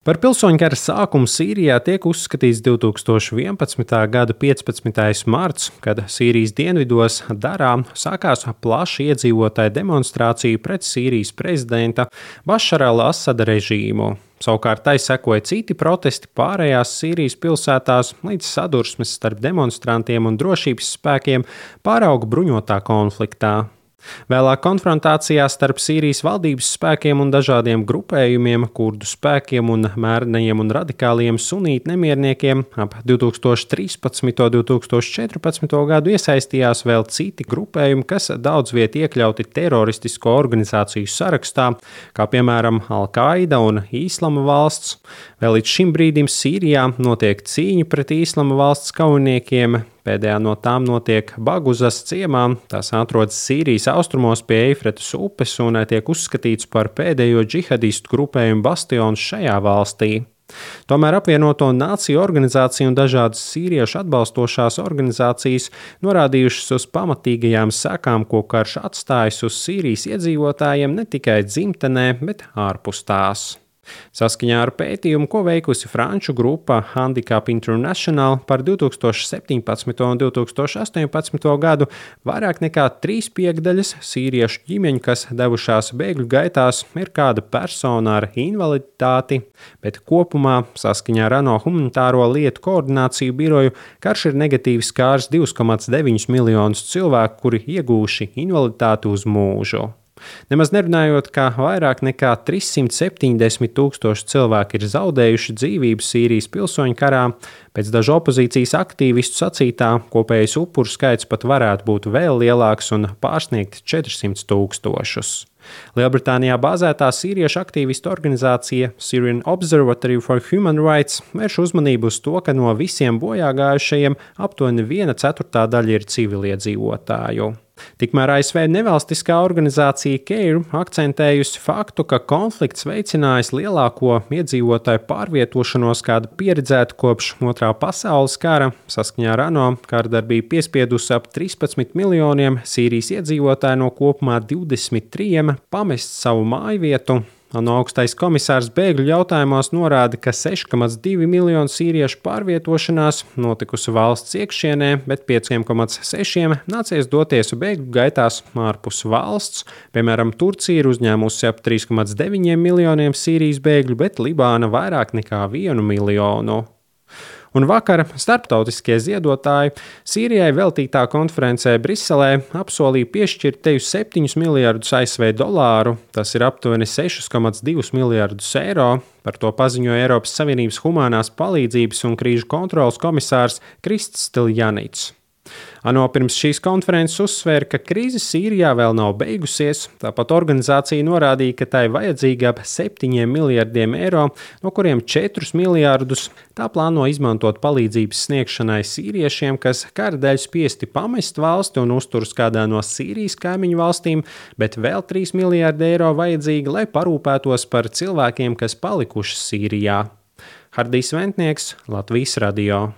Par pilsoņu kara sākumu Sīrijā tiek uzskatīts 2011. gada 15. marts, kad Sīrijas dienvidos Darā sākās plaša iedzīvotāju demonstrācija pret Sīrijas prezidenta Bašara al-Asada režīmu. Savukārt tai sekoja citi protesti pārējās Sīrijas pilsētās, līdz sadursmes starp demonstrantiem un drošības spēkiem pārauga bruņotā konfliktā. Vēlāk konfrontācijā starp Sīrijas valdības spēkiem un dažādiem grupējumiem, kurdu spēkiem un mērnajiem un radikāliem sunītu nemierniekiem ap 2013. un 2014. gadu iesaistījās vēl citi grupējumi, kas daudz viet iekļauti teroristisko organizāciju sarakstā, kā piemēram Al-Qaida un Īslama valsts. Vēl līdz šim brīdim Sīrijā notiek cīņa pret Īslama valsts kaujiniekiem. Pēdējā no tām notiek Baguzas ciemā. Tās atrodas Sīrijas austrumos pie Eifretas upes un tiek uzskatīts par pēdējo džihadistu grupējumu bastionu šajā valstī. Tomēr apvienoto nāciju organizācija un dažādas sīriešu atbalstošās organizācijas norādījušas uz pamatīgajām sekām, ko karš atstājis uz Sīrijas iedzīvotājiem ne tikai dzimtenē, bet ārpus tās. Saskaņā ar pētījumu, ko veikusi franču grupa Handicap International par 2017. un 2018. gadu, vairāk nekā 3/5 sīriešu ģimeņu, kas devušās bēgļu gaitās, ir kāda persona ar invaliditāti, bet kopumā, saskaņā ar ANO humanitāro lietu koordināciju biroju, karš ir negatīvi skārs 2,9 miljonus cilvēku, kuri iegūši invaliditāti uz mūžu. Nemaz nerunājot, ka vairāk nekā 370 tūkstoši cilvēki ir zaudējuši dzīvību Sīrijas pilsoņu karā, pēc dažu opozīcijas aktīvistu sacītā kopējais upuru skaits pat varētu būt vēl lielāks un pārsniegt 400 tūkstošus. Lielbritānijā bāzētā sīriešu aktīvistu organizācija Syrian Observatory for Human Rights vērš uzmanību uz to, ka no visiem bojāgājušajiem aptuveni 1/4 daļa ir civiliedzīvotāju. Tikmēr ASV nevalstiskā organizācija CARE akcentējusi faktu, ka konflikts veicinājis lielāko iedzīvotāju pārvietošanos, kāda pieredzēta kopš Otrā pasaules kara. Saskaņā ar ANO kārdarbība piespiedusi ap 13 miljoniem Sīrijas iedzīvotāju no kopumā 23 pamest savu mājvietu. ANO augstais komisārs bēgļu jautājumos norāda, ka 6,2 miljonu sīriešu pārvietošanās notikusi valsts iekšienē, bet 5,6 nācies doties bēgļu gaitās ārpus valsts. Piemēram, Turcija ir uzņēmusi ap 3,9 miljoniem Sīrijas bēgļu, bet Libāna vairāk nekā 1 miljonu. Un vakar starptautiskie ziedotāji Sīrijai veltītā konferencē Briselē apsolīja piešķirt teju 7 miljardus ASV dolāru, tas ir aptuveni 6,2 miljardus eiro. Par to paziņoja Eiropas Savienības humānās palīdzības un krīžu kontroles komisārs Krists Stiljanits. ANO pirms šīs konferences uzsvēra, ka krīze Sīrijā vēl nav beigusies, tāpat organizācija norādīja, ka tai vajadzīgi ap 7 miljardiem eiro, no kuriem 4 miljardus tā plāno izmantot palīdzības sniegšanai sīriešiem, kas kara dēļ spiesti pamest valsti un uzturas kādā no Sīrijas kaimiņu valstīm, bet vēl 3 miljardi eiro vajadzīgi, lai parūpētos par cilvēkiem, kas palikuši Sīrijā. Hardijs Ventnieks, Latvijas radio.